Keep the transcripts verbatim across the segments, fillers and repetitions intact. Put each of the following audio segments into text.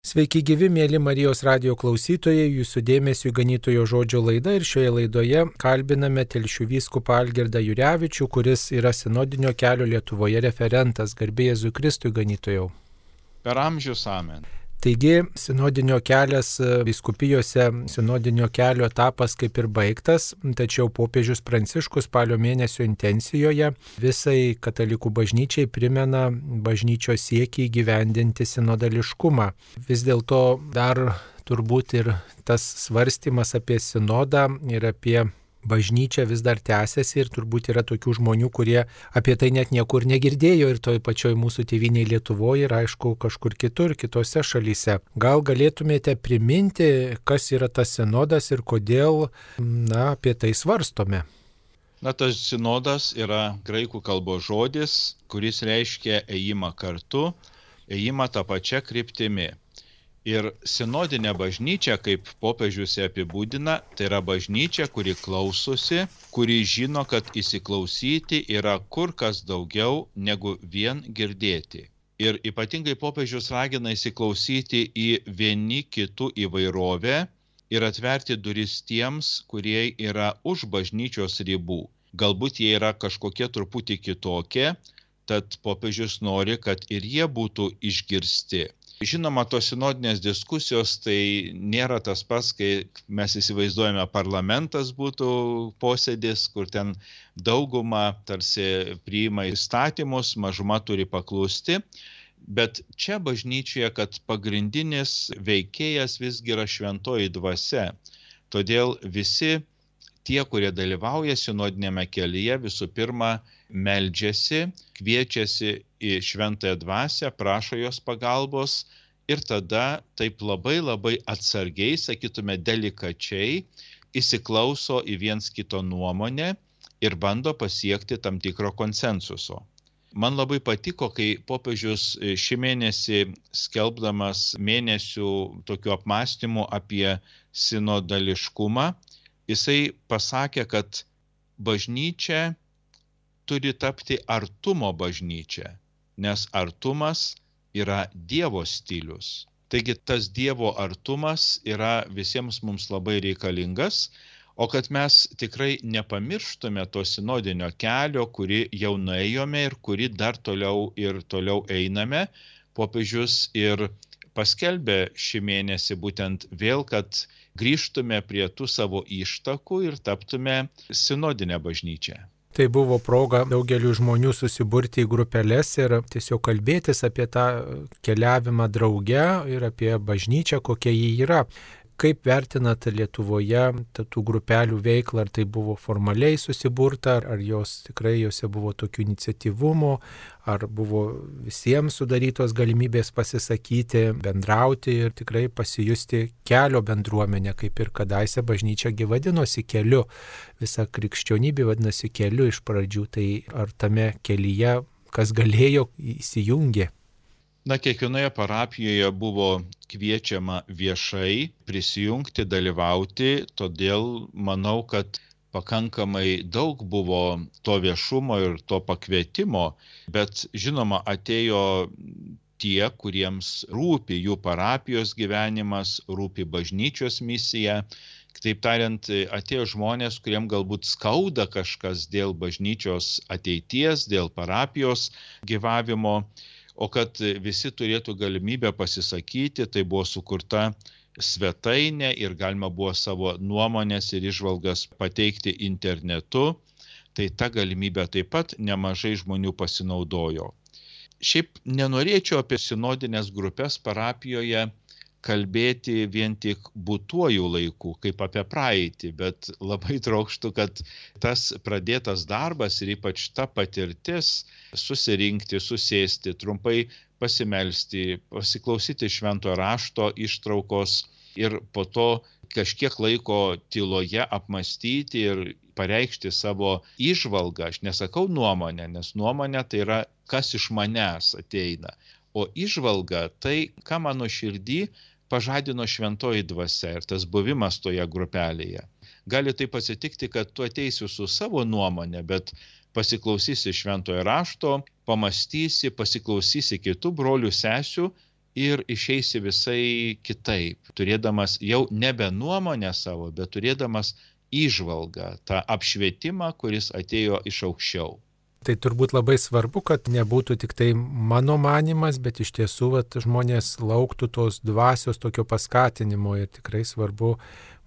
Sveiki gyvi, mėly Marijos radijo klausytojai, jūsų dėmesiu Ganytojo žodžio laida ir šioje laidoje kalbiname Telšių vyskupą Algirdą Jurevičių, kuris yra sinodinio kelio Lietuvoje referentas. Garbė Jėzui Kristui, Ganytojau. Per amžius amen. Taigi, sinodinio kelias vyskupijose, sinodinio kelio etapas kaip ir baigtas, tačiau popiežius Pranciškus spalio mėnesio intencijoje visai katalikų bažnyčiai primena bažnyčios siekį įgyvendinti sinodališkumą. Vis dėlto dar turbūt ir tas svarstymas apie sinodą ir apie bažnyčia vis dar tęsiasi ir turbūt yra tokių žmonių, kurie apie tai net niekur negirdėjo ir toj pačioj mūsų tėvynėje Lietuvoje ir aišku kažkur kitur, kitose šalyse. Gal galėtumėte priminti, kas yra tas sinodas ir kodėl, na, apie tai svarstome? Na, tas sinodas yra graikų kalbos žodis, kuris reiškia ėjimą kartu, ėjimą tą pačią kryptimi. Ir sinodinė bažnyčia, kaip popiežius ją apibūdina, tai yra bažnyčia, kuri klausosi, kuri žino, kad įsiklausyti yra kur kas daugiau negu vien girdėti. Ir ypatingai popiežius ragina įsiklausyti į vieni kitų įvairovę ir atverti duris tiems, kurie yra už bažnyčios ribų. Galbūt jie yra kažkokie truputį kitokie, tad popiežius nori, kad ir jie būtų išgirsti. Žinoma, tos sinodinės diskusijos tai nėra tas pats, kai mes įsivaizduojame parlamentas būtų posėdis, kur ten dauguma tarsi priima įstatymus, mažuma turi paklusti. Bet čia bažnyčioje, kad pagrindinis veikėjas visgi yra šventoji dvasia. Todėl visi tie, kurie dalyvauja sinodinėme kelyje, visų pirma meldžiasi, kviečiasi į šventąją dvasią, prašo jos pagalbos ir tada taip labai labai atsargiai, sakytume delikačiai, įsiklauso į viens kito nuomonę ir bando pasiekti tam tikro konsensuso. Man labai patiko, kai popiežius šį mėnesį skelbdamas mėnesių tokių apmąstymų apie sinodališkumą, jisai pasakė, kad bažnyčia turi tapti artumo bažnyčia, nes artumas yra Dievo stilius. Taigi tas Dievo artumas yra visiems mums labai reikalingas, o kad mes tikrai nepamirštume to sinodinio kelio, kurį jau nuėjome ir kurį dar toliau ir toliau einame, popiežius ir paskelbė šį mėnesį būtent vėl, kad grįžtume prie tų savo ištakų ir taptume sinodinę bažnyčią. Tai buvo proga daugeliu žmonių susiburti į grupeles ir tiesiog kalbėtis apie tą keliavimą drauge ir apie bažnyčią, kokia ji yra. Kaip vertinat Lietuvoje tų grupelių veiklą, ar tai buvo formaliai susiburta, ar jos tikrai jose buvo tokių iniciatyvumų, ar buvo visiems sudarytos galimybės pasisakyti, bendrauti ir tikrai pasijusti kelio bendruomenę, kaip ir kadaise bažnyčia gi vadinosi keliu. Visa krikščionybė vadinosi keliu iš pradžių, tai ar tame kelyje kas galėjo įsijungė? Na, kiekvienoje parapijoje buvo kviečiama viešai prisijungti, dalyvauti, todėl manau, kad pakankamai daug buvo to viešumo ir to pakvietimo, bet žinoma atėjo tie, kuriems rūpi jų parapijos gyvenimas, rūpi bažnyčios misija. Kitaip tariant, atėjo žmonės, kuriem galbūt skauda kažkas dėl bažnyčios ateities, dėl parapijos gyvavimo. O kad visi turėtų galimybę pasisakyti, tai buvo sukurta svetainė ir galima buvo savo nuomonės ir įžvalgas pateikti internetu, tai ta galimybė taip pat nemažai žmonių pasinaudojo. Šiaip nenorėčiau apie sinodinės grupės parapijoje kalbėti vien tik būtuoju laiku, kaip apie praeitį, bet labai trokštų, kad tas pradėtas darbas ir ypač ta patirtis susirinkti, susėsti, trumpai pasimelsti, pasiklausyti šventojo rašto ištraukos ir po to kažkiek laiko tyloje apmąstyti ir pareikšti savo įžvalgą. Aš nesakau nuomonę, nes nuomonė tai yra, kas iš manęs ateina. O įžvalga tai, ką mano širdį pažadino šventoji dvasia ir tas buvimas toje grupelėje. Gali taip atsitikti, kad tu ateisi su savo nuomonė, bet pasiklausysi šventojo rašto, pamastysi, pasiklausysi kitų brolių sesių ir išeisi visai kitaip, turėdamas jau nebe nuomonę savo, bet turėdamas įžvalgą, tą apšvietimą, kuris atėjo iš aukščiau. Tai turbūt labai svarbu, kad nebūtų tik tai mano manimas, bet iš tiesų vat, žmonės lauktų tos dvasios tokio paskatinimo ir tikrai svarbu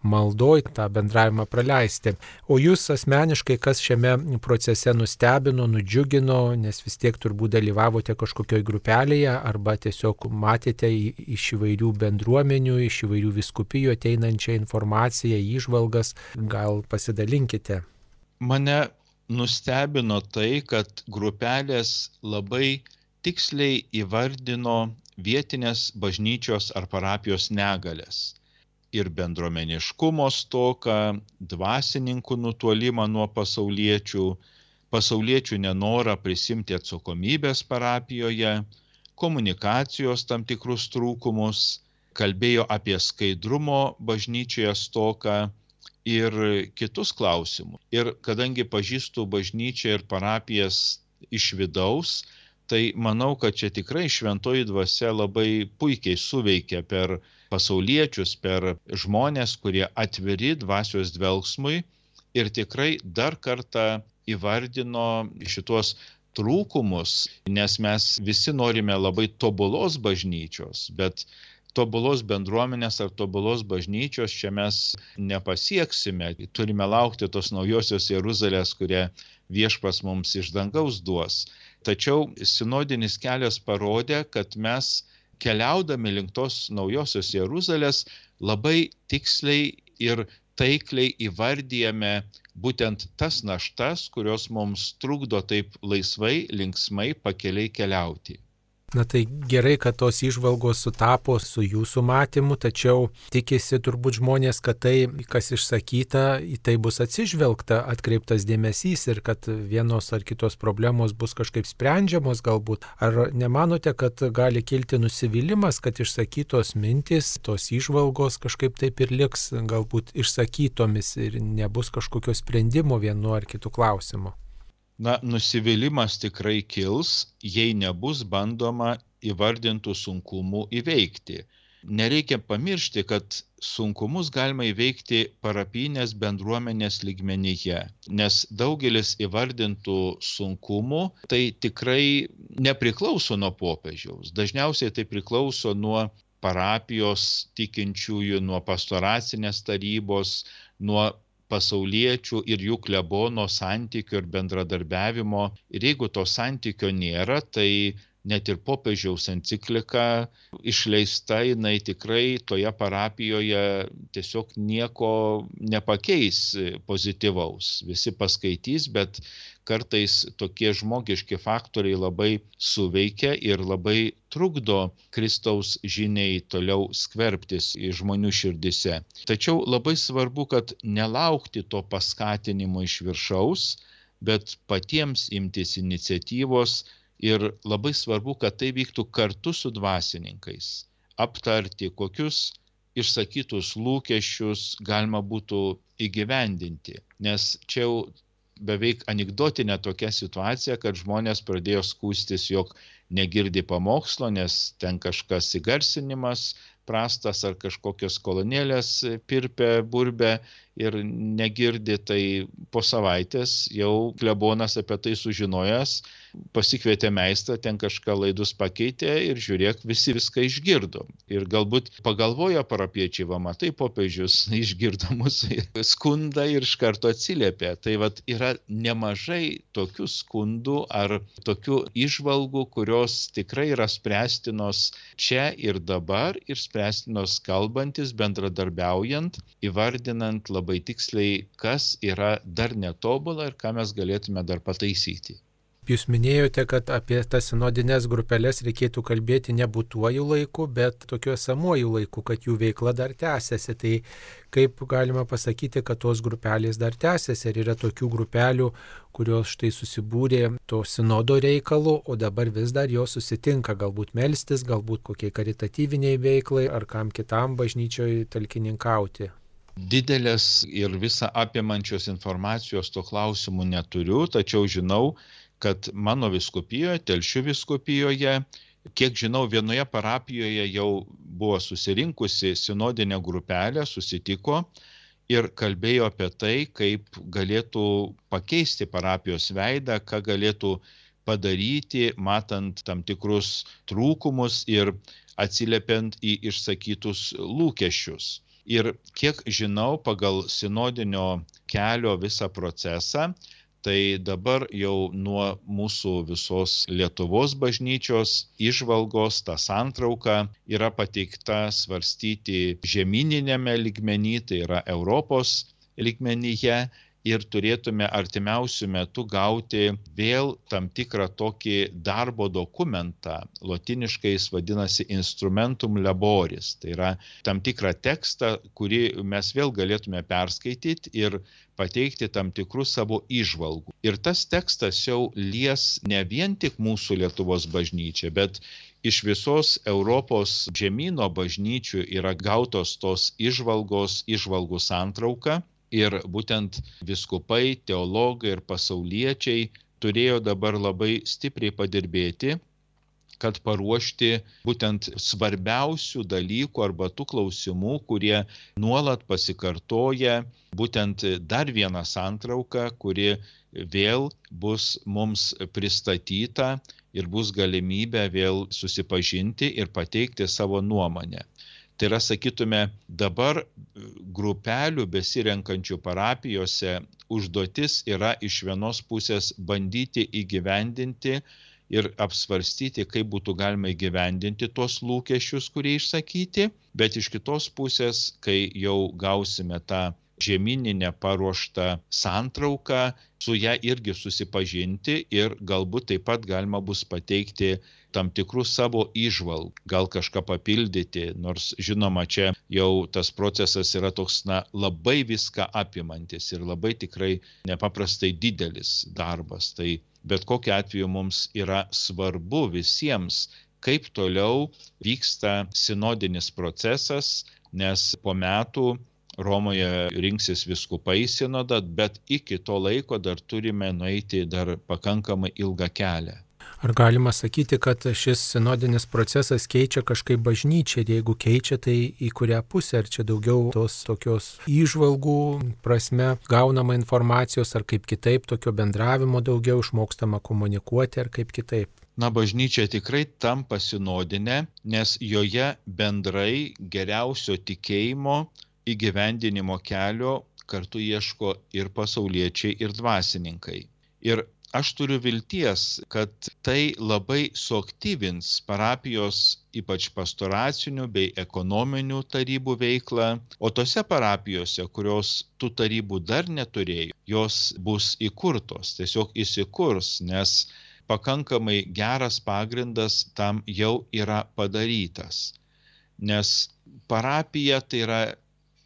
maldoj tą bendravimą praleisti. O jūs asmeniškai, kas šiame procese nustebino, nudžiugino, nes vis tiek turbūt dalyvavote kažkokioj grupelėje arba tiesiog matėte iš įvairių bendruomenių, iš įvairių vyskupijų ateinančią informaciją, įžvalgas, gal pasidalinkite. Mane nustebino tai, kad grupelės labai tiksliai įvardino vietinės bažnyčios ar parapijos negalės. Ir bendruomeniškumo stoką, dvasininkų nutolimą nuo pasauliečių, pasauliečių nenorą prisimti atsakomybės parapijoje, komunikacijos tam tikrus trūkumus, kalbėjo apie skaidrumo bažnyčioje stoką, ir kitus klausimus. Ir kadangi pažįstu bažnyčią ir parapijas iš vidaus, tai manau, kad čia tikrai šventoji dvasia labai puikiai suveikia per pasauliečius, per žmonės, kurie atviri dvasios dvelgsmui ir tikrai dar kartą įvardino šitos trūkumus, nes mes visi norime labai tobulos bažnyčios, bet tobulos bendruomenės ar tobulos bažnyčios čia mes nepasieksime. Turime laukti tos naujosios Jeruzalės, kurią Viešpats mums iš dangaus duos. Tačiau sinodinis kelias parodė, kad mes keliaudami link tos naujosios Jeruzalės labai tiksliai ir taikliai įvardyjame būtent tas naštas, kurios mums trukdo taip laisvai, linksmai pakeliai keliauti. Na tai gerai, kad tos įžvalgos sutapo su jūsų matymu, tačiau tikisi turbūt žmonės, kad tai, kas išsakyta, į tai bus atsižvelgta, atkreiptas dėmesys ir kad vienos ar kitos problemos bus kažkaip sprendžiamos galbūt. Ar nemanote, kad gali kilti nusivylimas, kad išsakytos mintys, tos įžvalgos kažkaip taip ir liks galbūt išsakytomis ir nebus kažkokio sprendimo vienu ar kitu klausimu? Na, nusivylimas tikrai kils, jei nebus bandoma įvardintų sunkumų įveikti. Nereikia pamiršti, kad sunkumus galima įveikti parapijinės bendruomenės lygmenyje, nes daugelis įvardintų sunkumų tai tikrai nepriklauso nuo popiežiaus. Dažniausiai tai priklauso nuo parapijos tikinčiųjų, nuo pastoracinės tarybos, nuo pasauliečių ir jų klebono santykio ir bendradarbiavimo. Ir jeigu to santykio nėra, tai net ir popiežiaus enciklika išleista, jinai tikrai toje parapijoje tiesiog nieko nepakeis pozityvaus. Visi paskaitys, bet kartais tokie žmogiški faktoriai labai suveikia ir labai trukdo Kristaus žiniai toliau skverbtis į žmonių širdise. Tačiau labai svarbu, kad nelaukti to paskatinimo iš viršaus, bet patiems imtis iniciatyvos ir labai svarbu, kad tai vyktų kartu su dvasininkais. Aptarti, kokius išsakytus lūkesčius galima būtų įgyvendinti, nes čia jau beveik anekdotinė tokia situacija, kad žmonės pradėjo skųstis, jog negirdi pamokslo, nes ten kažkas įgarsinimas prastas ar kažkokios kolonėlės pirpė, burbė ir negirdi, tai po savaitės jau klebonas apie tai sužinojęs, pasikvietė meistrą, ten kažką laidus pakeitė ir žiūrėk, visi viską išgirdo. Ir galbūt pagalvojo parapiečiai, va matai, popiežius išgirdo mūsų skundą ir iš karto atsiliepė. Tai vat yra nemažai tokių skundų ar tokių įžvalgų, kurios tikrai yra spręstinos čia ir dabar ir spręstinos kalbantis, bendradarbiaujant, įvardinant labai tiksliai, kas yra dar netobula ir ką mes galėtume dar pataisyti. Jūs minėjote, kad apie tas sinodines grupelės reikėtų kalbėti ne būtuoju laiku, bet tokiu esamuoju laiku, kad jų veikla dar tęsiasi. Tai kaip galima pasakyti, kad tos grupelės dar tęsiasi? Ar yra tokių grupelių, kurios štai susibūrė to sinodo reikalu, o dabar vis dar jos susitinka, galbūt melstis, galbūt kokiai karitatyviniai veiklai ar kam kitam bažnyčioje talkininkauti? Didelės ir visą apimančios informacijos to klausimų neturiu, tačiau žinau, kad mano vyskupijoje, Telšių vyskupijoje Kiek žinau, vienoje parapijoje jau buvo susirinkusi sinodinė grupelė, susitiko ir kalbėjo apie tai, kaip galėtų pakeisti parapijos veidą, ką galėtų padaryti, matant tam tikrus trūkumus ir atsiliepiant į išsakytus lūkesčius. Ir kiek žinau, pagal sinodinio kelio visą procesą, tai dabar jau nuo mūsų visos Lietuvos bažnyčios įžvalgos ta santrauka yra pateikta svarstyti žemyniniame lygmeny, tai yra Europos lygmenyje, ir turėtume artimiausių metų gauti vėl tam tikrą tokį darbo dokumentą, lotyniškai jis vadinasi instrumentum laboris, tai yra tam tikrą tekstą, kurį mes vėl galėtume perskaityti ir pateikti tam tikrų savo įžvalgų. Ir tas tekstas jau lies ne vien tik mūsų Lietuvos bažnyčią, bet iš visos Europos žemyno bažnyčių yra gautos tos įžvalgos, įžvalgų santrauka. Ir būtent vyskupai, teologai ir pasauliečiai turėjo dabar labai stipriai padirbėti, kad paruošti būtent svarbiausių dalykų arba tų klausimų, kurie nuolat pasikartoja, būtent dar vieną santrauką, kuri vėl bus mums pristatyta ir bus galimybė vėl susipažinti ir pateikti savo nuomonę. Tai yra, sakytume, dabar grupelių besirenkančių parapijose užduotis yra iš vienos pusės bandyti įgyvendinti ir apsvarstyti, kaip būtų galima įgyvendinti tuos lūkesčius, kurie išsakyti, bet iš kitos pusės, kai jau gausime tą žemyninę paruoštą santrauką, su ją irgi susipažinti ir galbūt taip pat galima bus pateikti tam tikrų savo įžvalgų, gal kažką papildyti, nors žinoma, čia jau tas procesas yra toks, na, labai viską apimantis ir labai tikrai nepaprastai didelis darbas. Tai bet kokiu atveju mums yra svarbu visiems, kaip toliau vyksta sinodinis procesas, nes po metų Romoje rinksis vyskupai sinodą, bet iki to laiko dar turime nueiti dar pakankamai ilgą kelią. Ar galima sakyti, kad šis sinodinis procesas keičia kažkaip bažnyčią ir jeigu keičia, tai į kurią pusę? Ar čia daugiau tos tokios įžvalgų prasme gaunama informacijos, ar kaip kitaip, tokio bendravimo daugiau, išmokstama komunikuoti, ar kaip kitaip? Na, bažnyčia tikrai tampa sinodinė, nes joje bendrai geriausio tikėjimo įgyvendinimo kelio kartu ieško ir pasauliečiai, ir dvasininkai. Ir aš turiu vilties, kad tai labai suaktyvins parapijos, ypač pastoracinių bei ekonominių tarybų veiklą, o tose parapijose, kurios tų tarybų dar neturėjo, jos bus įkurtos, tiesiog įsikurs, nes pakankamai geras pagrindas tam jau yra padarytas. Nes parapija tai yra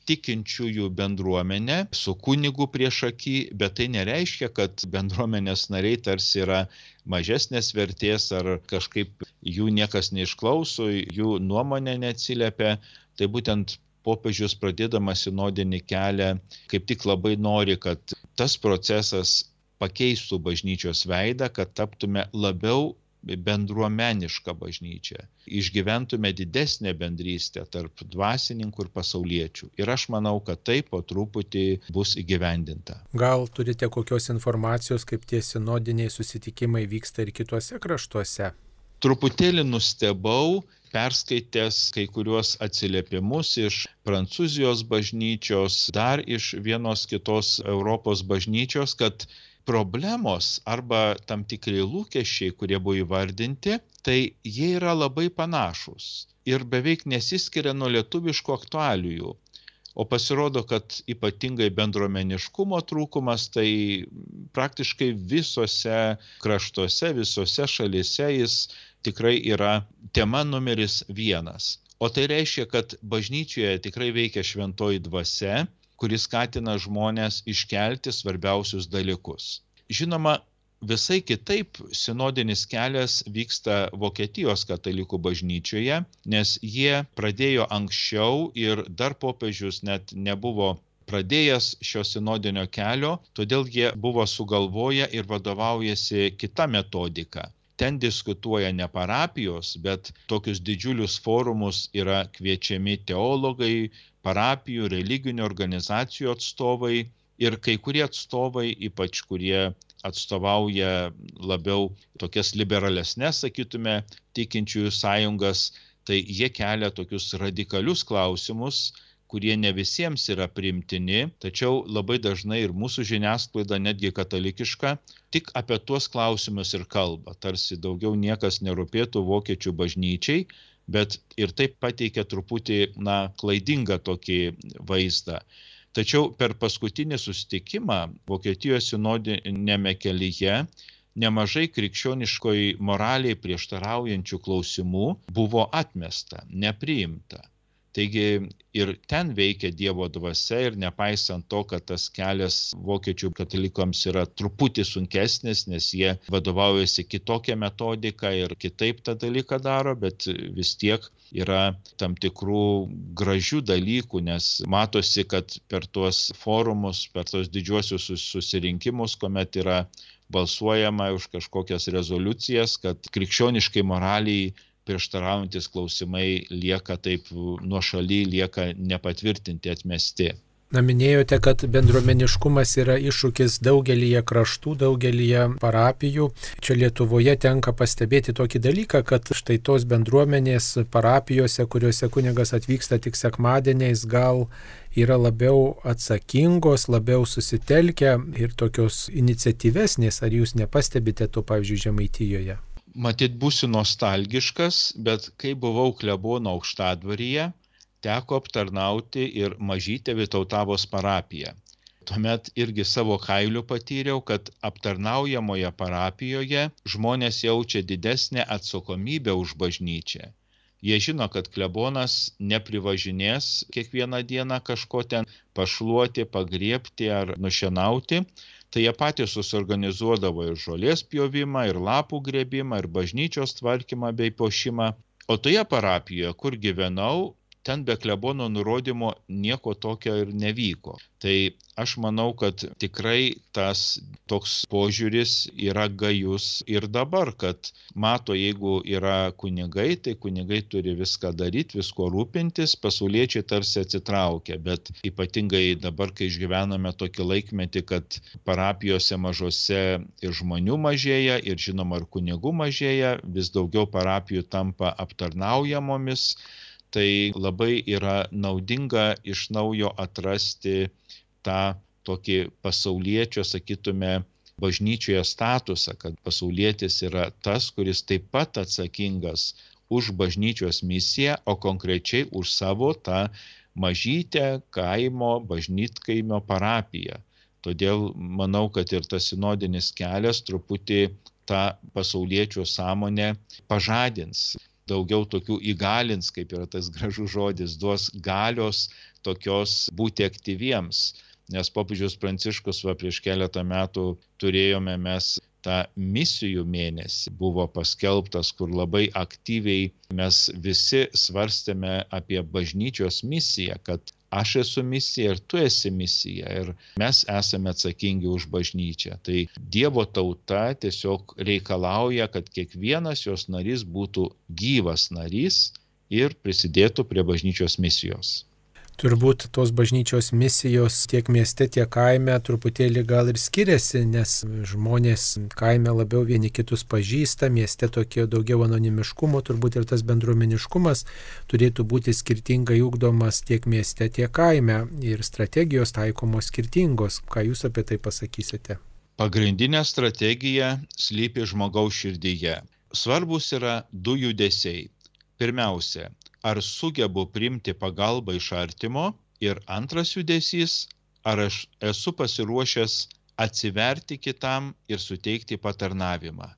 tikinčiųjų bendruomenė su kunigu priešaky, bet tai nereiškia, kad bendruomenės nariai tarsi yra mažesnės vertės ar kažkaip jų niekas neišklauso, jų nuomonė neatsiliepia. Tai būtent popiežius pradėdamas sinodinį kelią kaip tik labai nori, kad tas procesas pakeistų bažnyčios veidą, kad taptume labiau bendruomenišką bažnyčią, išgyventume didesnę bendrystę tarp dvasininkų ir pasauliečių. Ir aš manau, kad tai po truputį bus įgyvendinta. Gal turite kokios informacijos, kaip tie sinodiniai susitikimai vyksta ir kituose kraštuose? Truputėlį nustebau, perskaitęs kai kuriuos atsiliepimus iš Prancūzijos bažnyčios, dar iš vienos kitos Europos bažnyčios, kad problemos arba tam tikri lūkesčiai, kurie buvo įvardinti, tai jie yra labai panašus ir beveik nesiskiria nuo lietuviškų aktualijų. O pasirodo, kad ypatingai bendruomeniškumo trūkumas, tai praktiškai visose kraštuose, visose šalyse jis tikrai yra tema numeris vienas. O tai reiškia, kad bažnyčioje tikrai veikia šventoji dvasia, kuris skatina žmonės iškelti svarbiausius dalykus. Žinoma, visai kitaip sinodinis kelias vyksta Vokietijos katalikų bažnyčioje, nes jie pradėjo anksčiau ir dar popiežius net nebuvo pradėjęs šio sinodinio kelio, todėl jie buvo sugalvoję ir vadovaujasi kita metodika. ten diskutuoja ne parapijos, bet tokius didžiulius forumus yra kviečiami teologai, parapijų, religinių organizacijų atstovai ir kai kurie atstovai, ypač kurie atstovauja labiau tokias liberalesnes, sakytume, tikinčiųjų sąjungas, tai jie kelia tokius radikalius klausimus, kurie ne visiems yra priimtini, tačiau labai dažnai ir mūsų žiniasklaida, netgi katalikiška, tik apie tuos klausimus ir kalba. Tarsi daugiau niekas nerūpėtų vokiečių bažnyčiai, bet ir taip pateikia truputį, na, klaidingą tokį vaizdą. Tačiau per paskutinį susitikimą Vokietijos sinodiniame kelyje nemažai krikščioniškoj moraliai prieštaraujančių klausimų buvo atmesta, nepriimta. Taigi ir ten veikia Dievo dvasia ir nepaisant to, kad tas kelias vokiečių katalikams yra truputį sunkesnis, nes jie vadovaujasi kitokią metodiką ir kitaip tą dalyką daro, bet vis tiek yra tam tikrų gražių dalykų, nes matosi, kad per tuos forumus, per tuos didžiuosius susirinkimus, kuomet yra balsuojama už kažkokias rezoliucijas, kad krikščioniškai moraliai prieštaraujantis klausimai lieka taip nuošaly, lieka nepatvirtinti, atmesti. Na, minėjote, kad bendruomeniškumas yra iššūkis daugelyje kraštų, daugelyje parapijų. Čia Lietuvoje tenka pastebėti tokį dalyką, kad štai tos bendruomenės parapijose, kuriuose kunigas atvyksta tik sekmadieniais, gal yra labiau atsakingos, labiau susitelkę ir tokios iniciatyvesnės. Ar jūs nepastebite to, pavyzdžiui, Žemaitijoje? Matyt, būsiu nostalgiškas, bet kai buvau klebono Aukštadvaryje, teko aptarnauti ir mažytę Vytautavos parapiją. Tuomet irgi savo kailiu patyriau, kad aptarnaujamoje parapijoje žmonės jaučia didesnę atsakomybę už bažnyčią. Jie žino, kad klebonas neprivažinės kiekvieną dieną kažko ten pašluoti, pagriebti ar nušienauti. Tai jie patys susiorganizuodavo ir žolės pjovimą, ir lapų grėbimą, ir bažnyčios tvarkymą bei puošimą. O toje parapijoje, kur gyvenau, ten be klebono nurodymo nieko tokio ir nevyko. Tai aš manau, kad tikrai tas toks požiūris yra gajus ir dabar, kad mato, jeigu yra kunigai, tai kunigai turi viską daryti, visko rūpintis, pasauliečiai tarsi atsitraukia, bet ypatingai dabar, kai išgyvename tokį laikmetį, kad parapijose mažose ir žmonių mažėja, ir žinoma, ir kunigų mažėja, vis daugiau parapijų tampa aptarnaujamomis, tai labai yra naudinga iš naujo atrasti tą tokį pasauliečio, sakytume, bažnyčioje statusą, kad pasaulietis yra tas, kuris taip pat atsakingas už bažnyčios misiją, o konkrečiai už savo tą mažytę kaimo bažnytkaimio parapiją. Todėl manau, kad ir tas sinodinis kelias truputį tą pasauliečio sąmonę pažadins. Daugiau tokių įgalins, kaip yra tas gražus žodis, duos galios tokios būti aktyviems. Nes popiežius Pranciškus va, prieš keletą metų turėjome mes tą misijų mėnesį, buvo paskelbtas, kur labai aktyviai mes visi svarstėme apie bažnyčios misiją, kad aš esu misija ir tu esi misija ir mes esame atsakingi už bažnyčią. Tai Dievo tauta tiesiog reikalauja, kad kiekvienas jos narys būtų gyvas narys ir prisidėtų prie bažnyčios misijos. Turbūt tos bažnyčios misijos tiek mieste, tiek kaime truputėlį gal ir skiriasi, nes žmonės kaime labiau vieni kitus pažįsta, mieste tokie daugiau anonimiškumo, turbūt ir tas bendruomeniškumas turėtų būti skirtingai ugdomas tiek mieste, tiek kaime ir strategijos taikomos skirtingos. Ką jūs apie tai pasakysite? Pagrindinė strategija slypi žmogaus širdyje. Svarbus yra du judesiai. Pirmiausia, ar sugebu priimti pagalbą iš artimo ir antras judesys, ar aš esu pasiruošęs atsiverti kitam ir suteikti patarnavimą.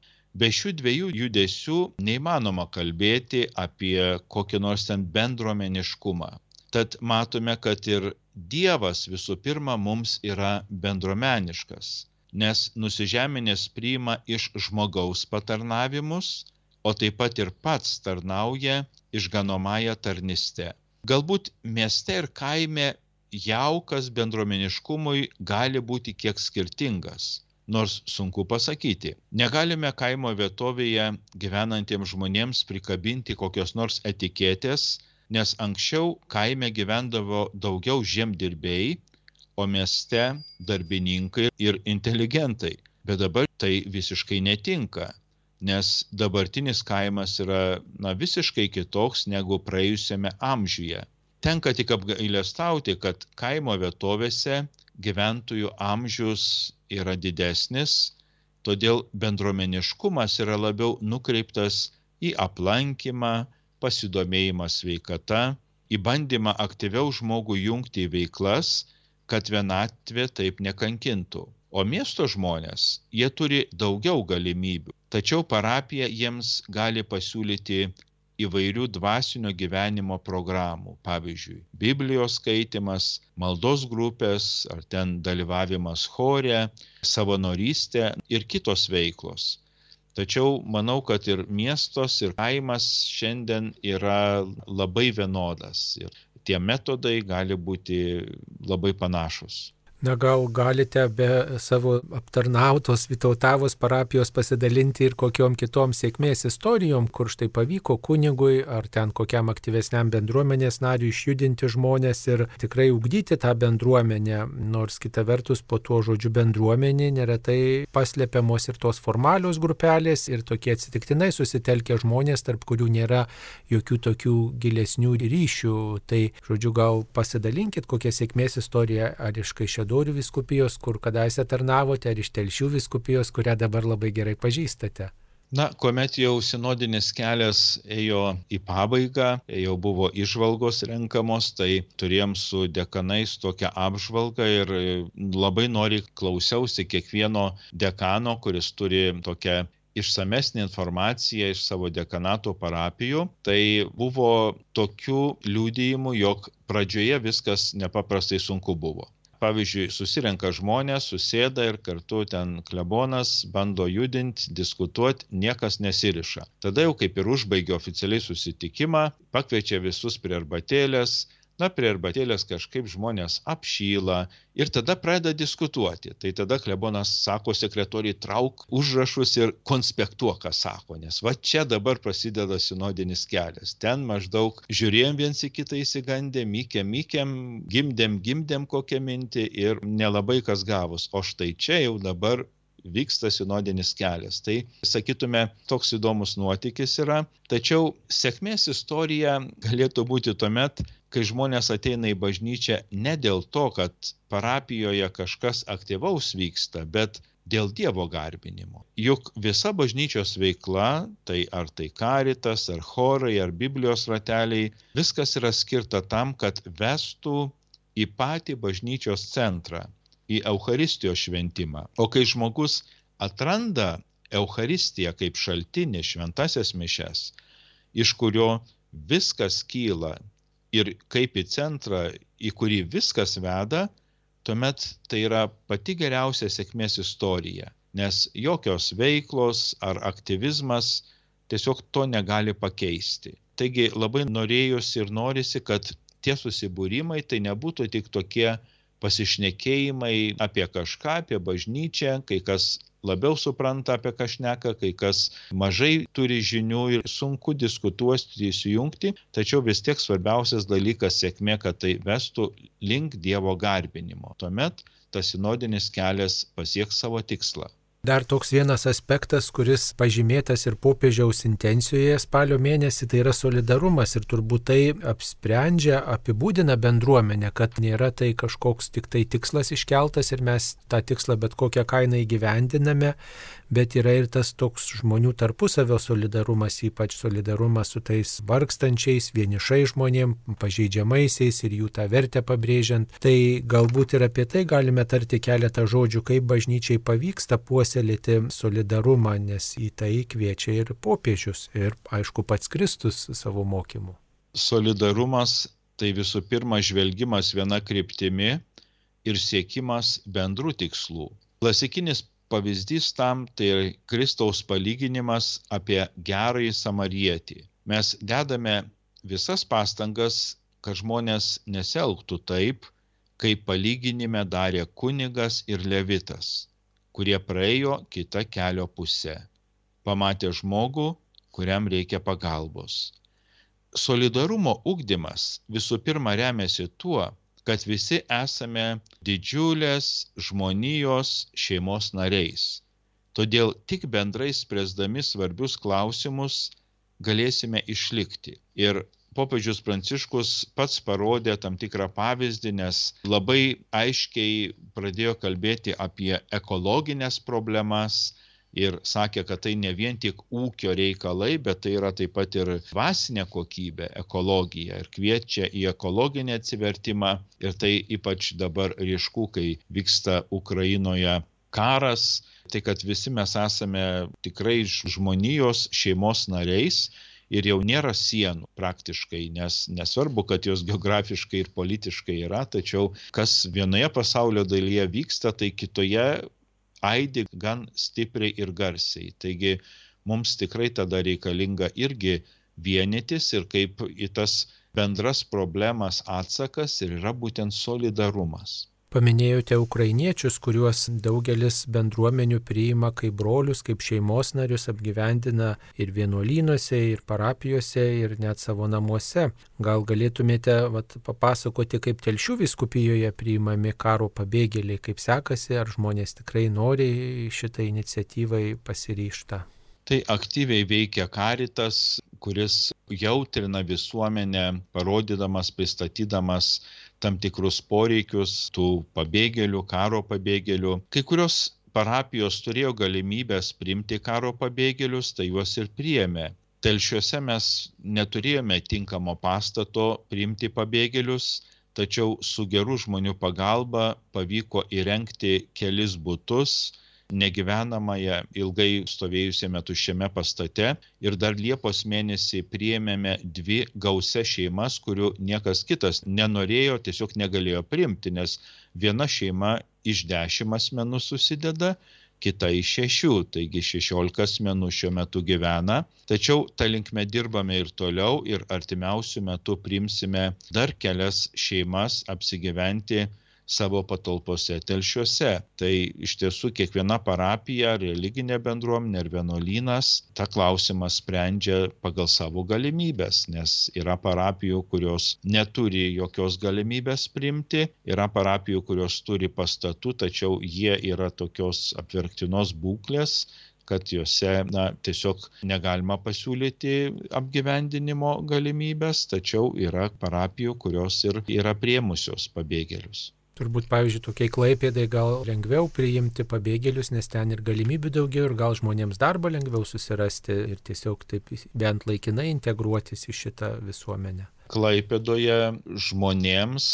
Be šių dviejų judesių neįmanoma kalbėti apie kokį nors ten bendruomeniškumą. Tad matome, kad ir Dievas visų pirma mums yra bendruomeniškas, nes nusižeminęs priima iš žmogaus patarnavimus, o taip pat ir pats tarnauja išganomąją tarnystę. Galbūt mieste ir kaime jaukas bendruomeniškumui gali būti kiek skirtingas, nors sunku pasakyti. Negalime kaimo vietovėje gyvenantiems žmonėms prikabinti kokios nors etiketės, nes anksčiau kaime gyvendavo daugiau žemdirbiai, o mieste darbininkai ir inteligentai. Bet dabar tai visiškai netinka, nes dabartinis kaimas yra na, visiškai kitoks negu praėjusiame amžiuje. Tenka tik apgailestauti, kad kaimo vietovėse gyventojų amžius yra didesnis, todėl bendruomeniškumas yra labiau nukreiptas į aplankymą, pasidomėjimą sveikata, į bandymą aktyviau žmogų jungti į veiklas, kad vienatvė taip nekankintų. O miesto žmonės, jie turi daugiau galimybių, tačiau parapija jiems gali pasiūlyti įvairių dvasinio gyvenimo programų, pavyzdžiui, Biblijos skaitimas, maldos grupės, ar ten dalyvavimas chore, savanorystė ir kitos veiklos. Tačiau manau, kad ir miestos, ir kaimas šiandien yra labai vienodas ir tie metodai gali būti labai panašus. Na gal galite be savo aptarnautos Vytautavos parapijos pasidalinti ir kokiom kitom sėkmės istorijom, kur štai pavyko kunigui ar ten kokiam aktyvesniam bendruomenės nariui išjudinti žmonės ir tikrai ugdyti tą bendruomenę, nors kita vertus po tuo žodžiu bendruomenė neretai paslepiamos ir tos formalios grupelės ir tokie atsitiktinai susitelkę žmonės, tarp kurių nėra jokių tokių gilesnių ryšių. Tai žodžiu gal pasidalinkit kokią sėkmės istoriją ar iš Kaišiadorių Kaišiadorių vyskupijos, kur kadaise tarnavote, ar iš Telšių vyskupijos, kurią dabar labai gerai pažįstate? Na, kuomet jau sinodinis kelias ėjo į pabaigą, jau buvo įžvalgos renkamos, tai turėjom su dekanais tokią apžvalgą ir labai noriai klausiausi kiekvieno dekano, kuris turi tokią išsamesnė informacija iš savo dekanato parapijų. Tai buvo tokių liudijimų, jog pradžioje viskas nepaprastai sunku buvo. Pavyzdžiui, susirenka žmonės, susėda ir kartu ten klebonas bando judinti, diskutuoti, niekas nesiriša. Tada jau kaip ir užbaigia oficialiai susitikimą, pakviečia visus prie arbatėlės, na, prie arbatėlės kažkaip žmonės apšyla ir tada pradeda diskutuoti. Tai tada klebonas sako sekretoriai, trauk užrašus ir konspektuok, ką sako, nes va čia dabar prasideda sinodinis kelias. Ten maždaug žiūrėjom viens į kitą įsigandę, mykėm, mykėm, gimdėm, gimdėm kokią mintį ir nelabai kas gavus. O štai čia jau dabar vyksta sinodinis kelias. Tai, sakytume, toks įdomus nuotykis yra. Tačiau sėkmės istorija galėtų būti tuomet, kai žmonės ateina į bažnyčią ne dėl to, kad parapijoje kažkas aktyvaus vyksta, bet dėl Dievo garbinimo. Juk visa bažnyčios veikla, tai ar tai karitas, ar chorai, ar Biblijos rateliai, viskas yra skirta tam, kad vestų į patį bažnyčios centrą, į Eucharistijos šventimą. O kai žmogus atranda Eucharistiją kaip šaltinį, šventasias mišias, iš kurio viskas kyla ir kaip į centrą, į kurį viskas veda, tuomet tai yra pati geriausia sėkmės istorija, nes jokios veiklos ar aktyvizmas tiesiog to negali pakeisti. Taigi labai norėjosi ir norisi, kad tie susibūrimai tai nebūtų tik tokie pasišnekėjimai apie kažką, apie bažnyčią, kai kas labiau supranta apie ką šneka, kai kas mažai turi žinių ir sunku diskutuoti, įsijungti, tačiau vis tiek svarbiausias dalykas sėkmė, kad tai vestų link Dievo garbinimo. Tuomet tas sinodinis kelias pasieks savo tikslą. Dar toks vienas aspektas, kuris pažymėtas ir popiežiaus intencijoje spalio mėnesį, tai yra solidarumas ir turbūt tai apsprendžia, apibūdina bendruomenę, kad nėra tai kažkoks tik tai tikslas iškeltas ir mes tą tikslą bet kokią kainą įgyvendiname, bet yra ir tas toks žmonių tarpusavio solidarumas, ypač solidarumas su tais vargstančiais, vienišai žmonėm, pažeidžiamaisiais ir jų tą vertę pabrėžiant. Tai galbūt ir apie tai galime tarti keletą žodžių, kaip bažnyčiai pavyksta puoselėti solidarumą, nes į tai kviečia ir popiežius ir, aišku, pats Kristus savo mokymu. Solidarumas tai visų pirma žvelgimas viena kryptimi ir siekimas bendrų tikslų. Klasikinis pavyzdys tam tai Kristaus palyginimas apie gerąjį samarietį. Mes dedame visas pastangas, kad žmonės nesielgtų taip, kaip palyginime darė kunigas ir levitas, kurie praėjo kitą kelio pusę. Pamatė žmogų, kuriam reikia pagalbos. Solidarumo ugdymas visų pirma remiasi tuo, kad visi esame didžiulės žmonijos šeimos nariais. Todėl tik bendrai spręsdami svarbius klausimus galėsime išlikti. Ir popiežius Pranciškus pats parodė tam tikrą pavyzdį, nes labai aiškiai pradėjo kalbėti apie ekologinės problemas ir sakė, kad tai ne vien tik ūkio reikalai, bet tai yra taip pat ir dvasinė kokybė, ekologija, ir kviečia į ekologinį atsivertimą. Ir tai ypač dabar ryšku, kai vyksta Ukrainoje karas, tai kad visi mes esame tikrai žmonijos šeimos nariais ir jau nėra sienų praktiškai, nes nesvarbu, kad jos geografiškai ir politiškai yra, tačiau kas vienoje pasaulio dalyje vyksta, tai kitoje aidi gan stipriai ir garsiai. Taigi mums tikrai tada reikalinga irgi vienytis ir kaip į tas bendras problemas atsakas ir yra būtent solidarumas. Paminėjote ukrainiečius, kuriuos daugelis bendruomenių priima kaip brolius, kaip šeimos narius, apgyvendina ir vienuolynuose, ir parapijose, ir net savo namuose. Gal galėtumėte vat, papasakoti, kaip Telšių vyskupijoje priimami karo pabėgėliai, kaip sekasi, ar žmonės tikrai nori šitą iniciatyvai pasiryžta? Tai aktyviai veikia Caritas, kuris jautrina visuomenę, parodydamas, pristatydamas tam tikrus poreikius tų pabėgėlių, karo pabėgėlių. Kai kurios parapijos turėjo galimybės priimti karo pabėgėlius, tai juos ir priėmė. Telšiuose mes neturėjome tinkamo pastato priimti pabėgėlius, tačiau su gerų žmonių pagalba pavyko įrengti kelis butus negyvenamąją ilgai stovėjusiame tuščiame pastate ir dar Liepos mėnesį priėmėme dvi gausias šeimas, kurių niekas kitas nenorėjo, tiesiog negalėjo priimti, nes viena šeima iš dešimt asmenų susideda, kita iš šešių, taigi šešiolika asmenų šiuo metu gyvena. Tačiau ta linkme dirbame ir toliau ir artimiausių metų priimsime dar kelias šeimas apsigyventi savo patalpose Telšiuose. Tai iš tiesų kiekviena parapija, religinė bendruomenė ir vienuolynas tą klausimą sprendžia pagal savo galimybės, nes yra parapijų, kurios neturi jokios galimybės priimti, yra parapijų, kurios turi pastatų, tačiau jie yra tokios apverktinos būklės, kad juose na, tiesiog negalima pasiūlyti apgyvendinimo galimybės, tačiau yra parapijų, kurios ir yra priėmusios pabėgėlius. Turbūt, pavyzdžiui, tokiai Klaipėdai gal lengviau priimti pabėgėlius, nes ten ir galimybių daugiau ir gal žmonėms darbą lengviau susirasti ir tiesiog taip bent laikinai integruotis į šitą visuomenę. Klaipėdoje žmonėms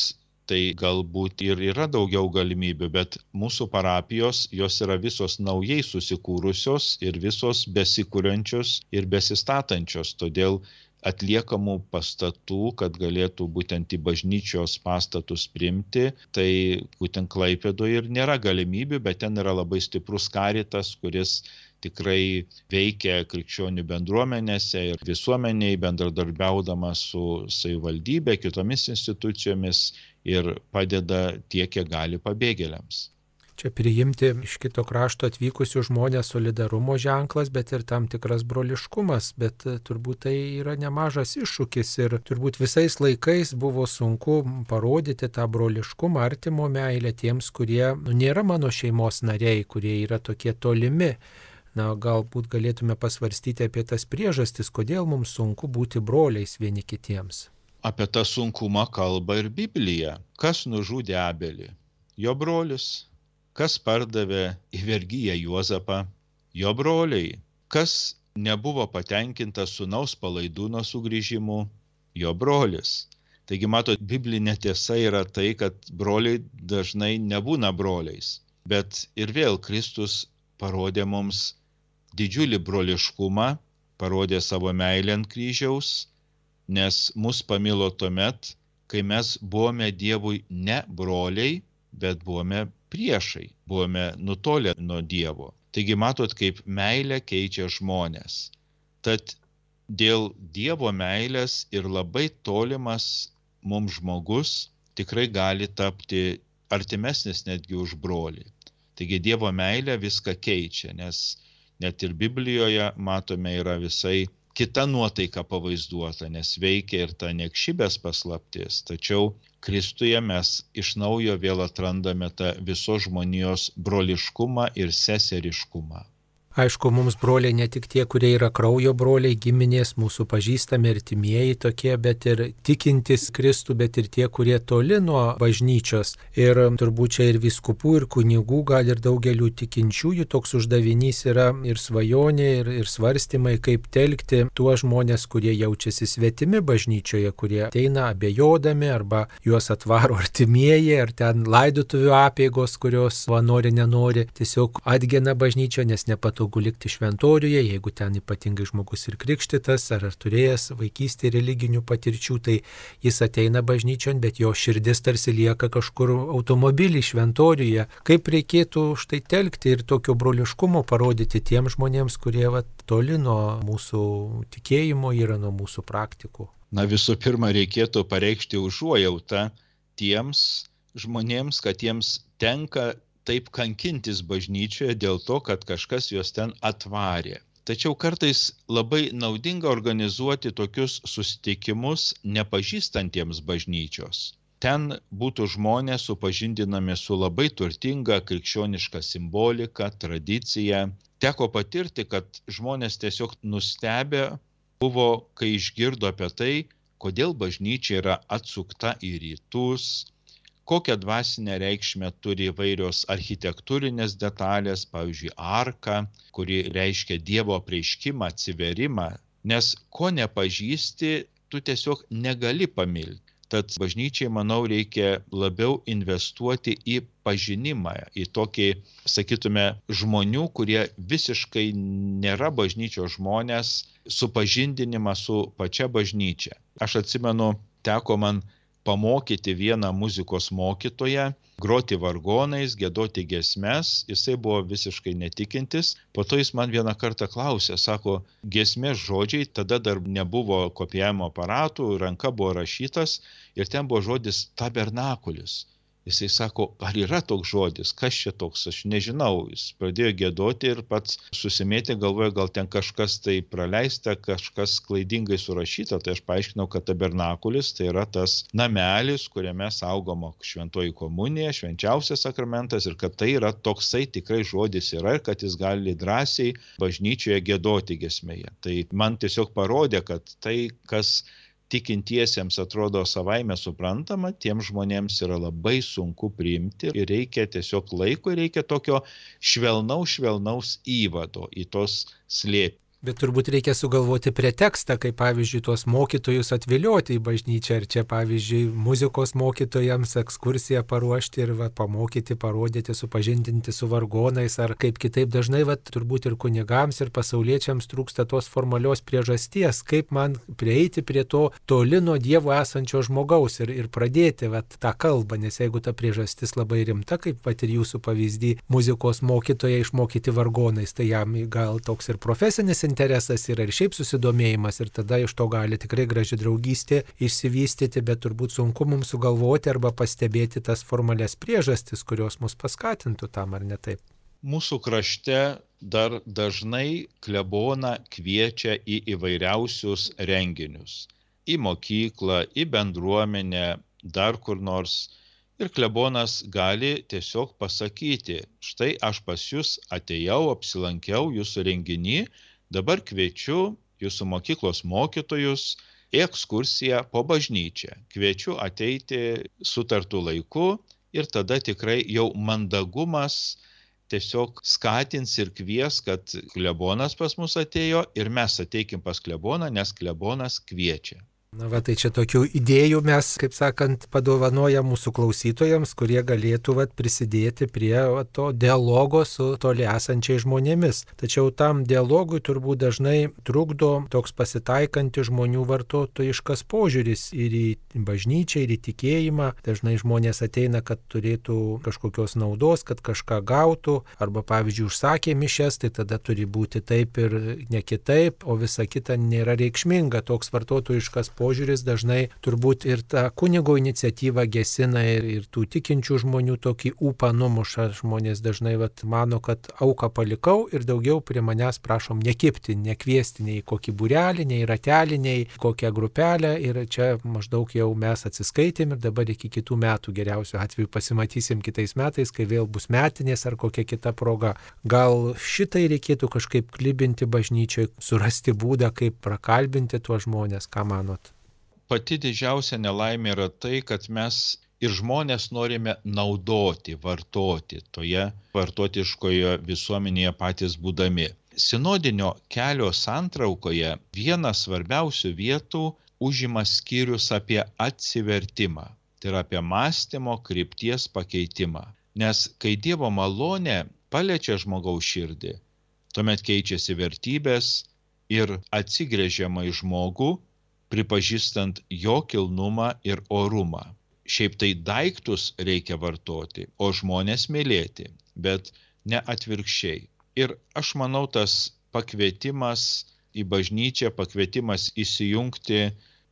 tai galbūt ir yra daugiau galimybių, bet mūsų parapijos, jos yra visos naujai susikūrusios ir visos besikūrenčios ir besistatančios, todėl atliekamų pastatų, kad galėtų būtent į bažnyčios pastatus priimti, tai būtent Klaipėdoje ir nėra galimybių, bet ten yra labai stiprus Caritas, kuris tikrai veikia krikščionių bendruomenėse ir visuomeniai bendradarbiaudama su savivaldybė, kitomis institucijomis ir padeda tiek, kiek gali pabėgėliams. Čia priimti iš kito krašto atvykusių žmonės solidarumo ženklas, bet ir tam tikras broliškumas, bet turbūt tai yra nemažas iššūkis ir turbūt visais laikais buvo sunku parodyti tą broliškumą, artimo meilę tiems, kurie nu, nėra mano šeimos nariai, kurie yra tokie tolimi. Na, galbūt galėtume pasvarstyti apie tas priežastis, kodėl mums sunku būti broliais vieni kitiems. Apie tą sunkumą kalba ir Biblija. Kas nužudė Abelį? Jo brolis. Kas pardavė į vergiją Juozapą? Jo broliai. Kas nebuvo patenkintas sūnaus Palaidūno sugrįžimu? Jo brolis. Taigi, matot, biblinė tiesa yra tai, kad broliai dažnai nebūna broliais. Bet ir vėl Kristus parodė mums didžiulį broliškumą, parodė savo meilę ant kryžiaus, nes mus pamilo tuomet, kai mes buvome Dievui ne broliai, bet buvome priešai, buvome nutolę nuo Dievo. Taigi matot, kaip meilė keičia žmonės. Tad dėl Dievo meilės ir labai tolimas mums žmogus tikrai gali tapti artimesnis netgi už brolį. Taigi Dievo meilė viską keičia, nes net ir Biblijoje matome yra visai kita nuotaika pavaizduota, nes veikia ir ta niekšybės paslaptis. Tačiau Kristuje mes iš naujo vėl atrandame tą visos žmonijos broliškumą ir seseriškumą. Aišku, mums broliai ne tik tie, kurie yra kraujo broliai, giminės, mūsų pažįstami artimieji tokie, bet ir tikintys Kristų, bet ir tie, kurie toli nuo bažnyčios. Ir turbūt čia ir vyskupų, ir kunigų, gal ir daugelių tikinčiųjų toks uždavinys yra ir svajonė, ir, ir svarstymai, kaip telkti tuos žmonės, kurie jaučiasi svetimi bažnyčioje, kurie ateina abejodami, arba juos atvaro artimieji, ar ten laidotuvių apeigos, kurios va, nori, nenori, tiesiog atgena bažnyčią, nes nepatogu likti šventoriuje, jeigu ten ypatingai žmogus ir krikštytas, ar, ar turėjęs vaikystėje religinių patirčių, tai jis ateina bažnyčion, bet jo širdis tarsi lieka kažkur automobilį šventoriuje. Kaip reikėtų štai telkti ir tokio broliškumo parodyti tiems žmonėms, kurie va, toli nuo mūsų tikėjimo yra, nuo mūsų praktikų? Na visų pirma, reikėtų pareikšti užuojautą tiems žmonėms, kad jiems tenka taip kankintis bažnyčioje dėl to, kad kažkas juos ten atvarė. Tačiau kartais labai naudinga organizuoti tokius susitikimus nepažįstantiems bažnyčios. Ten būtų žmonės supažindinami su labai turtinga krikščioniška simbolika, tradicija. Teko patirti, kad žmonės tiesiog nustebę buvo, kai išgirdo apie tai, kodėl bažnyčia yra atsukta į rytus, kokią dvasinę reikšmę turi įvairios architektūrinės detalės, pavyzdžiui, arka, kuri reiškia Dievo apreiškimą, atsiverimą, nes ko nepažįsti, tu tiesiog negali pamilti. Tad bažnyčiai, manau, reikia labiau investuoti į pažinimą, į tokį, sakytume, žmonių, kurie visiškai nėra bažnyčios žmonės, supažindinimą su pačia bažnyčia. Aš atsimenu, teko man pamokyti vieną muzikos mokytoją, groti vargonais, giedoti giesmes, jisai buvo visiškai netikintis. Po to jis man vieną kartą klausė, sako, giesmės žodžiai, tada dar nebuvo kopijavimo aparatų, ranka buvo rašytas ir ten buvo žodis tabernakulis. Jisai sako, ar yra toks žodis, kas čia toks, aš nežinau. Jis pradėjo giedoti ir pats susimėtė, galvoja, gal ten kažkas tai praleista, kažkas klaidingai surašyta. Tai aš paaiškinau, kad tabernakulis tai yra tas namelis, kuriame saugoma šventoji komunija, švenčiausias sakramentas ir kad tai yra toksai tikrai žodis yra ir kad jis gali drąsiai bažnyčioje giedoti giesmėje. Tai man tiesiog parodė, kad tai, kas tikintiesiems atrodo savaime suprantama, tiems žmonėms yra labai sunku priimti ir reikia tiesiog laiko, reikia tokio švelnaus, švelnaus įvado į tos slėpinius. Bet turbūt reikia sugalvoti pretekstą, kaip pavyzdžiui tuos mokytojus atvilioti į bažnyčią, ar čia pavyzdžiui muzikos mokytojams ekskursiją paruošti ir va, pamokyti, parodyti, supažindinti su vargonais, ar kaip kitaip dažnai va, turbūt ir kunigams, ir pasauliečiams trūksta tos formalios priežasties, kaip man prieiti prie to toli nuo Dievo esančio žmogaus ir, ir pradėti va, tą kalbą, nes jeigu ta priežastis labai rimta, kaip va, ir jūsų pavyzdį muzikos mokytoją išmokyti vargonais, tai jam gal toks ir profesinis interesas yra ir šiaip susidomėjimas ir tada iš to gali tikrai graži draugystė išsivystyti, bet turbūt sunku mums sugalvoti arba pastebėti tas formalias priežastis, kurios mus paskatintų tam ar ne taip. Mūsų krašte dar dažnai kleboną kviečia į įvairiausius renginius. Į mokyklą, į bendruomenę, dar kur nors. Ir klebonas gali tiesiog pasakyti, štai aš pas jūs atėjau, apsilankiau jūsų renginį, dabar kviečiu jūsų mokyklos mokytojus į ekskursiją po bažnyčią. Kviečiu ateiti sutartu laiku ir tada tikrai jau mandagumas tiesiog skatins ir kvies, kad klebonas pas mus atėjo ir mes ateikim pas kleboną, nes klebonas kviečia. Na va, tai čia tokių idėjų mes, kaip sakant, padovanojam mūsų klausytojams, kurie galėtų va, prisidėti prie va, to dialogo su toli esančiais žmonėmis. Tačiau tam dialogui turbūt dažnai trukdo toks pasitaikantis žmonių vartotojiškas požiūris ir į bažnyčią, ir į tikėjimą. Dažnai žmonės ateina, kad turėtų kažkokios naudos, kad kažką gautų, arba pavyzdžiui užsakė mišias, tai tada turi būti taip ir ne kitaip, o visa kita nėra reikšminga. Toks vartotojiškas požiūris požiūris dažnai turbūt ir tą kunigo iniciatyvą gesina ir, ir tų tikinčių žmonių tokį ūpą numuša. Žmonės dažnai vat, mano, kad auką palikau ir daugiau prie manęs prašom nekipti, nekviesti nei kokį būrelį, nei ratelį, nei kokią grupelę ir čia maždaug jau mes atsiskaitėm ir dabar iki kitų metų geriausiu atveju pasimatysim kitais metais, kai vėl bus metinės ar kokia kita proga. Gal šitai reikėtų kažkaip klibinti bažnyčiai, surasti būdą, kaip prakalbinti tuos žmonės, ką manot? Pati didžiausia nelaimė yra tai, kad mes ir žmonės norime naudoti, vartoti toje vartotiškoje visuomenėje patys būdami. Sinodinio kelio santraukoje vieną svarbiausių vietų užima skyrius apie atsivertimą, tai yra apie mąstymo krypties pakeitimą. Nes kai Dievo malonė paliečia žmogaus širdį, tuomet keičiasi vertybės ir atsigręžiama į žmogų, pripažįstant jo kilnumą ir orumą. Šiaip tai daiktus reikia vartoti, o žmonės mylėti, bet ne atvirkščiai. Ir aš manau, tas pakvietimas į bažnyčią, pakvietimas įsijungti,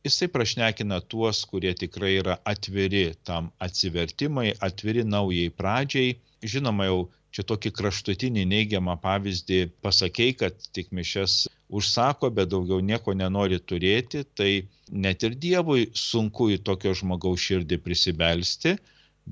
jisai prašnekina tuos, kurie tikrai yra atviri tam atsivertimai, atviri naujai pradžiai. Žinoma, jau čia tokį kraštutinį neigiamą pavyzdį pasakei, kad tik mišias užsako, bet daugiau nieko nenori turėti, tai net ir Dievui sunku į tokio žmogaus širdį prisibelsti,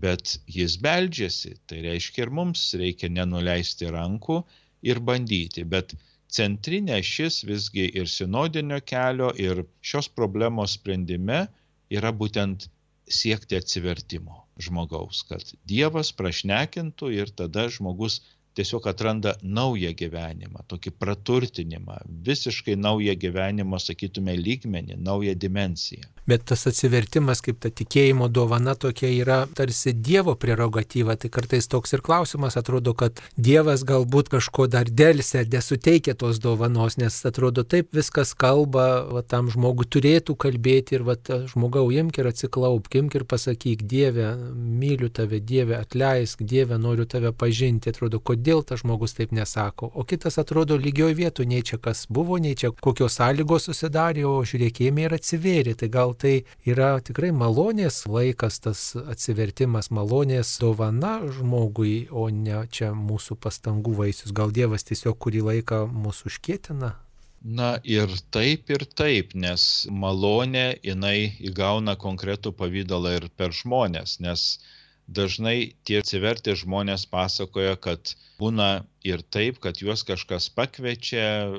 bet jis beldžiasi. Tai reiškia ir mums reikia nenuleisti rankų ir bandyti. Bet centrinė šis visgi ir sinodinio kelio, ir šios problemos sprendime yra būtent siekti atsivertimo žmogaus, kad Dievas prašnekintų ir tada žmogus tiesiog atranda naują gyvenimą, tokį praturtinimą, visiškai naują gyvenimo, sakytume, lygmenį, naują dimensiją. Bet tas atsivertimas, kaip ta tikėjimo dovana tokia yra tarsi Dievo prerogatyva, tai kartais toks ir klausimas atrodo, kad Dievas galbūt kažko dar delsia, nesuteikia tos dovanos, nes atrodo taip viskas kalba, va, tam žmogui turėtų kalbėti ir va, žmogau imk ir atsiklaupk, imk ir pasakyk, Dieve, myliu tave, Dieve, atleisk, Dieve, noriu tave pažinti, atrodo, kodėl tas žmogus taip nesako, o kitas atrodo lygioj vietoj, nei čia kas buvo, nei čia kokios sąlygos susidarė, o žiūrėkime ir atsivėrė, tai gal tai yra tikrai malonės laikas, tas atsivertimas, malonės dovana žmogui, o ne čia mūsų pastangų vaisius. Gal Dievas tiesiog kurį laiką mūsų užkietina? Na ir taip ir taip, nes malonė jinai įgauna konkretų pavydalą ir per žmonės, nes dažnai tie atsivertę žmonės pasakoja, kad būna ir taip, kad juos kažkas pakviečia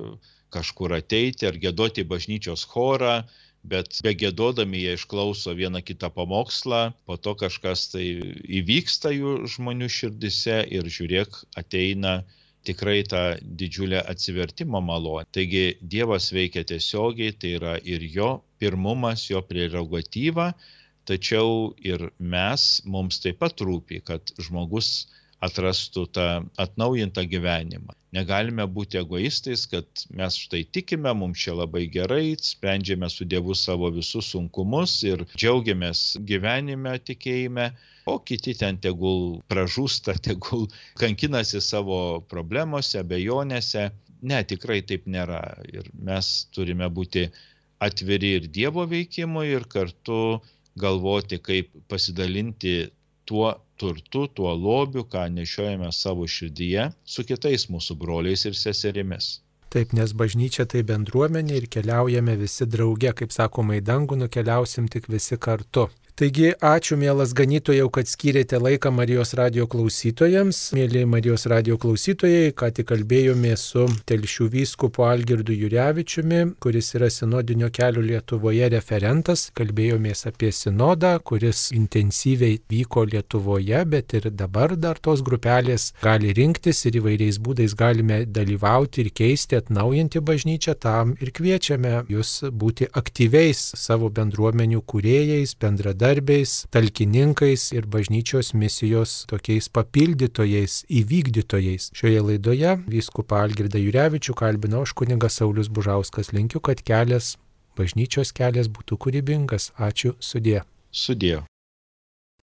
kažkur ateiti ar giedoti bažnyčios chorą, bet begėdodami jie išklauso vieną kitą pamokslą, po to kažkas tai įvyksta jų žmonių širdise ir žiūrėk, ateina tikrai tą didžiulę atsivertimo malonę. Taigi Dievas veikia tiesiogiai, tai yra ir jo pirmumas, jo prerogatyva, tačiau ir mes, mums taip pat rūpi, kad žmogus atrastų tą atnaujintą gyvenimą. Negalime būti egoistais, kad mes štai tikime, mums čia labai gerai, sprendžiame su Dievu savo visus sunkumus ir džiaugiamės gyvenime tikėjime, o kiti ten tegul pražūsta, tegul kankinasi savo problemose, abejonėse. Ne, tikrai taip nėra. Ir mes turime būti atviri ir Dievo veikimui ir kartu galvoti, kaip pasidalinti tuo turtu, tuo lobiu, ką nešiojame savo širdyje, su kitais mūsų broliais ir seserimis. Taip, nes bažnyčia tai bendruomenė ir keliaujame visi drauge, kaip sakoma, į dangų nukeliausim tik visi kartu. Taigi, ačiū, mielas ganytojau, kad skyrėte laiką Marijos radijo klausytojams. Mėly Marijos radijo klausytojai, ką tik kalbėjome su Telšių vyskupu Algirdu Jurevičiumi, kuris yra sinodinio kelio Lietuvoje referentas. Kalbėjomės apie sinodą, kuris intensyviai vyko Lietuvoje, bet ir dabar dar tos grupelės gali rinktis ir įvairiais būdais galime dalyvauti ir keisti, atnaujinti bažnyčią. Tam ir kviečiame jūs būti aktyviais savo bendruomenių kūrėjais, bendradarbiais, darbiais, talkininkais ir bažnyčios misijos tokiais papildytojais, įvykdytojais. Šioje laidoje vyskupą Algirdą Jurevičių kalbino aš kunigas Saulius Bužauskas. Linkiu, kad kelias, bažnyčios kelias būtų kūrybingas. Ačiū, sudie. Sudie.